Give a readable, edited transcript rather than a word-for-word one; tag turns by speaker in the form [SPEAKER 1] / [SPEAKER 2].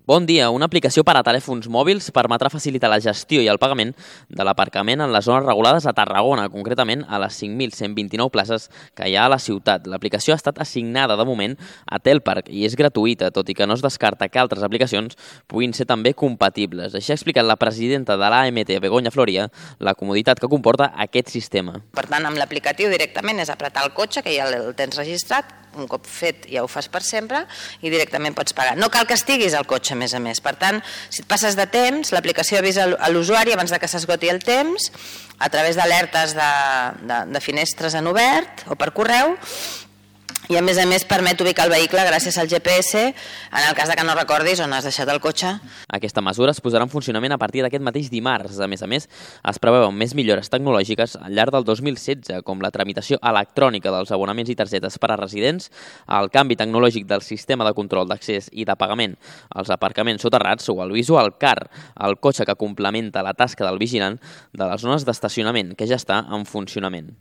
[SPEAKER 1] Bon dia. Una aplicació per a telèfons mòbils permetrà facilitar la gestió i el pagament de l'aparcament en les zones regulades a Tarragona, concretament a les 5.129 places que hi ha a la ciutat. L'aplicació ha estat assignada de moment a Telpark i és gratuïta, tot i que no es descarta que altres aplicacions puguin ser també compatibles. Així ha explicat la presidenta de l'AMT, Begoña Floria, la comoditat que comporta aquest sistema.
[SPEAKER 2] Per tant, amb l'aplicatiu directament és apretar el cotxe, que ja el tens registrat, un cop fet ja ho fas per sempre i directament pots pagar. No cal que estiguis al cotxe, a més. Per tant, si et passes de temps, l'aplicació avisa a l'usuari abans que s'esgoti el temps, a través d'alertes de finestres en obert o per correu, i a més permet ubicar el vehicle gràcies al GPS en el cas que no recordis on has deixat el cotxe.
[SPEAKER 1] Aquesta mesura es posarà en funcionament a partir d'aquest mateix dimarts. A més, es preveuen més millores tecnològiques al llarg del 2016, com la tramitació electrònica dels abonaments i targetes per a residents, el canvi tecnològic del sistema de control d'accés i de pagament als aparcaments soterrats o el Visual Car, el cotxe que complementa la tasca del vigilant de les zones d'estacionament, que ja està en funcionament.